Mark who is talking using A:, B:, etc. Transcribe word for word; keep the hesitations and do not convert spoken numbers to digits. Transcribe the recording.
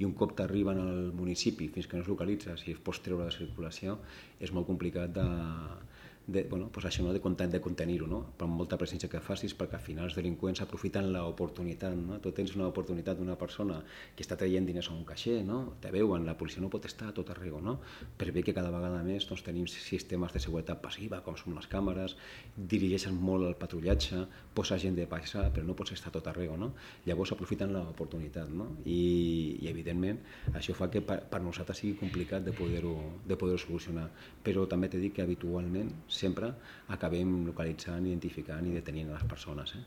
A: i un cop t'arriben al municipi fins que no es localitza, si es pots treure de circulació, és molt complicat de, de, bueno, pues això, no? de, de contenir-ho, no? Per molta presència que facis, perquè al final els delinqüents aprofiten l'oportunitat, no? Tu tens una oportunitat d'una persona que està traient diners a un caixer, no? Te veuen, la policia no pot estar a tot arreu, no? Per bé que cada vegada més doncs, tenim sistemes de seguretat passiva, com són les càmeres, dirigeixen molt el patrullatge, posa gent de passar, però no pots estar a tot arreu, no? Llavors aprofiten l'oportunitat, no? I, i evidentment això fa que per, per nosaltres sigui complicat de poder-ho de poder solucionar, però també t'he dit que habitualment sempre acabem localitzant, identificant i detenint les persones. Eh?